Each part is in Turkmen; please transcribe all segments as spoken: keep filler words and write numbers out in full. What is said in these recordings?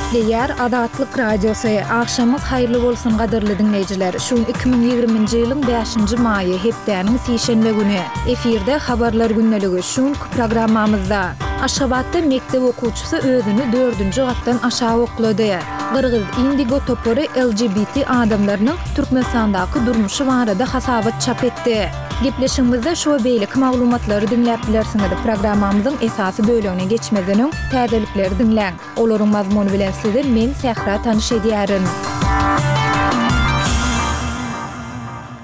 Gepleýär Azatlyk Radiosy. Agşamyňyz haýyrly bolsun gadyrly diňleýjiler. Şu gün iki müň ýigriminji ýylyň bäşinji maýy, hepdäniň sişenbe güni. Efirde Habarlar gündeligi. Şu günki programmamyzda. Aşgabatda mekdep okuwçysy özüni dördünji gatdan aşak oklady. Gyrgyz Indigo topary L G B T adamlarynyň Türkmenistandaky durmuşy barada hasabat çap etdi. Gepleşigimizde şu we beýleki maglumatlary diňläp bilersiňiz. Programmamyzyň esasy bölegine geçmezden öň täzelikleri diňläň. Olaryň mazmuny bilen sizi men Sähra tanyş edýärin.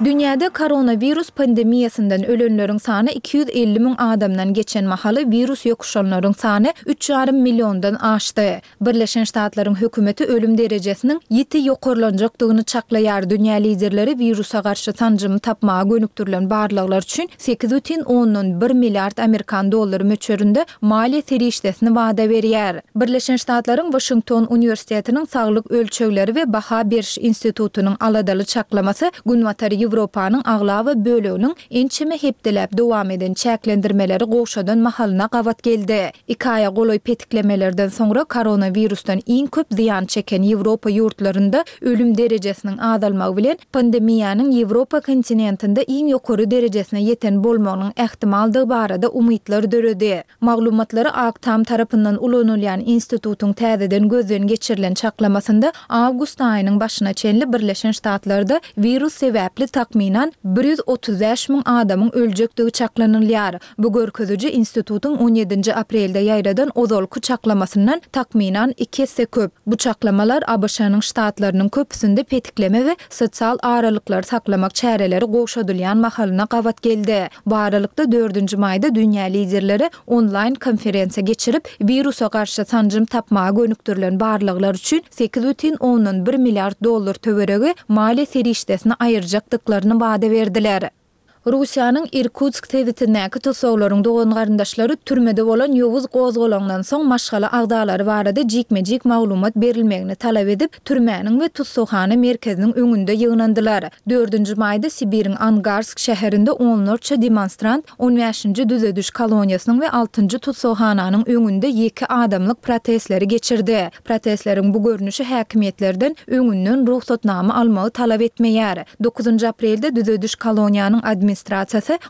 Dünýäde koronawirus pandemiýasyndan ölenleriň sany iki ýüz elli müň adamdan geçen mahaly wirus ýokuşanlaryň sany üç ýarym milliondan aşdy. Birleşen Ştatlaryň hökümeti ölüm derejesiniň ýiti ýokarlanjakdygyny çaklaýar. Dünýä liderleri wirusa garşy sanjymy tapmaga gönükdirilen barlaglar üçin sekiz bütin ondan bir milliard amerikan dollary möçberinde maliýe serişdesini wada berýär. Birleşen Ştatlaryň Waşington uniwersitetiniň Saglyk ölçegleri we baha beriş institutynyň aladaly çaklamasy Günbatar Ýewropanyň aglaba böleginiň ençeme hepdeläp dowam eden çäklendirmeleri gowşadan mahalyna gabat geldi. Iki aýa golaý petiklemelerden soňra koronawirusdan iň köp zyýan çeken Ýewropa ýurtlarynda ölüm derejesiniň azalmagy bilen pandemiýanyň Ýewropa kontinentinde iň ýokary derejesine ýeten bolmagynyň ähtimaldygy barada umytlar döredi. Maglumatlary Ak Tam tarapyndan ulanylýan institutyň täzeden gözden geçirilen çaklamasynda awgust aýynyň başyna çenli Birleşen Ştatlarda wirus sebäpli takmynan bir ýüz otuz bäş müň adamyň öljekdigi çaklanylýar. Bu görkeziji institutyň on ýedinji aprelde ýaýradan ozalky çaklamasyndan takmynan iki esse köp. Bu çaklamalar A B Ş-nyň ştatlarynyň köpüsinde petikleme we sosial aralyklary saklamak çäreleri gowşadylýan mahalyna gabat geldi. Bu aralykda dördünji maýda dünýä liderleri onlaýn konferensiýa geçirip, wirusa garşy sanjym tapmaga gönükdirilen barlaglar üçin sekiz bütin ondan bir milliard dollar töweregi maliýe serişdesini aýyrjakdyklaryny wada berdiler. Russiýanyň Irkutsk sebitindäki tussaglaryň dogan-garyndaşlary türmede bolan ýowuz gozgalaňdan soň maşgala agzalary barada jikme-jik maglumat berilmegini talap edip, türmäniň we tussaghana merkeziniň öňünde ýygnandylar. Dördünji maýda Sibiriň Angarsk şäherinde onlarça demonstrant on bäşinji düzediş koloniýasynyň we altynjy tussaghananyň öňünde ýeke adamlyk protestleri geçirdi. Protestleriň bu görnüşi häkimiýetlerden öňünden rugsatnama almagy talap etmeýär. Dokuzynjy aprelde düzediş koloniýanyň administrasiýasy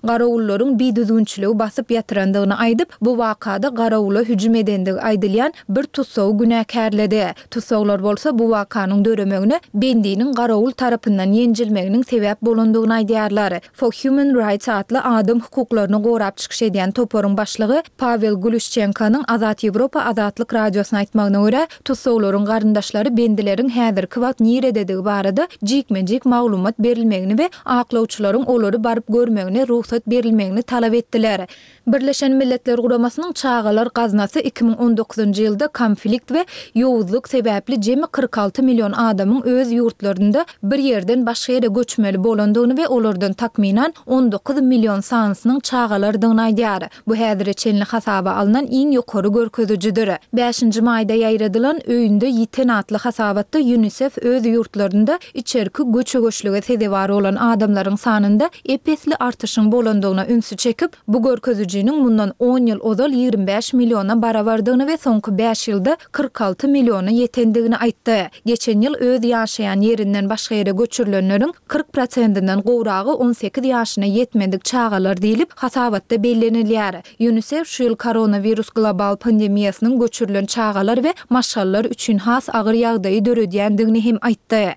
garawullaryň bidüzgünçiligi basyp ýatyrandygyny aýdyp, bu wakada garawula hüjüm edendigi aýdylýan bir tussagy günäkärledi. Tussaglar bolsa bu wakanyň döremegine bendiniň garawul tarapyndan ýenjilmeginiň sebäp bolandygyny aýdýarlar. For Human Rights atly adam hukuklaryny gorap çykyş edýän toparyň başlygy Pawel Guluşçenkonyň Azat Ýewropa Azatlyk Radiosyna aýtmagyna görä, tussaglaryň garyndaşlary bendileriň häzirki wagt nirededigi barada jikme-jik maglumat berilmegini we aklawçylaryň olary baryp görmegine rugsat berilmegini talap etdiler. Birleşen Milletler Guramasynyň Çagalar gaznasy iki müň on dokuzynjy ýylda konflikt we ýowuzlyk sebäpli jemi kyrk alty million adamyň öz ýurtlarynda bir ýerden başga ýere göçmeli bolandygyny we olardan takmynan on dokuz million sanysynyň çagalardygyny aýdýar. Bu häzire çenli hasaba alnan iň ýokary görkezijidir. Bäşinji maýda ýaýradylan Öýünde ýiten atly hasabatda UNICEF öz ýurtlarynda içerki göçe-göçlüge sezewar bolan adamlaryň sanynda ep-esli artyşyň bolandygyna ünsi çekip, bu görkezijiniň mundan on ýyl ozal ýigrimi bäş milliona barabardygyny we soňky bäş ýylda kyrk alty milliona ýetendigini aýtdy. Geçen ýyl öz ýaşaýan ýerinden başga ýere göçürilenleriň kyrk prosentinden gowragy on sekiz ýaşyna ýetmedik çagalar diýlip, hasabatda bellenilýär. UNICEF şu ýyl koronawirus global pandemiýasynyň göçürilen çagalar we maşgalalar üçin has agyr ýagdaýy döredýändigini hem aýtdy.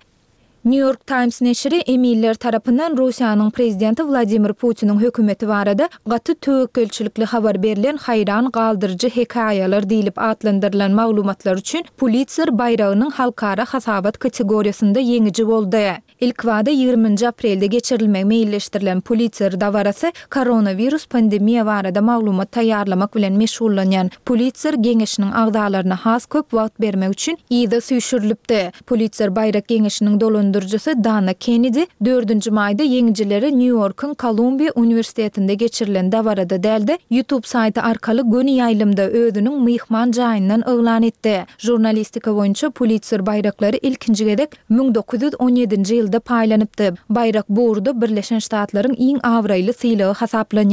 New York Times neşiri emiller tarapyndan Russiýanyň prezidenti Wladimir Putiniň hökümeti barada gaty töwekgelçilikli habar berlen haýran galdyryjy hekaýalar diýlip atlandyrylan maglumatlar üçin Pulitzer baýragynyň halkara hasabat kategoriýasynda ýeňiji boldy. Ilkbada ýigriminji aprelde geçirilmegi meýilleşdirilen Pulitzer dabarasy koronawirus pandemiýa barada maglumat taýýarlamak bilen meşgullanýan Pulitzer geňeşiniň agzalaryna has köp wagt bermek üçin yza süýşürilipdi. Pulitzer baýrak geňeşiniň dolandyryjysy Dana Kennedi dördünji maýda ýeňijileri Nýu-Ýorkuň Kolumbiýa uniwersitetinde geçirilen dabarada däl-de, YouTube saýty arkaly göni ýaýlymda özüniň myhman jaýyndan yglan etdi. Žurnalistika boýunça Pulitzer baýraklary ilkinji gezek müň dokuz ýüz on ýedinji ýylda paýlanypdy. Baýrak bu ugurda Birleşen Ştatlaryň iň abraýly sylagy hasaplanýar.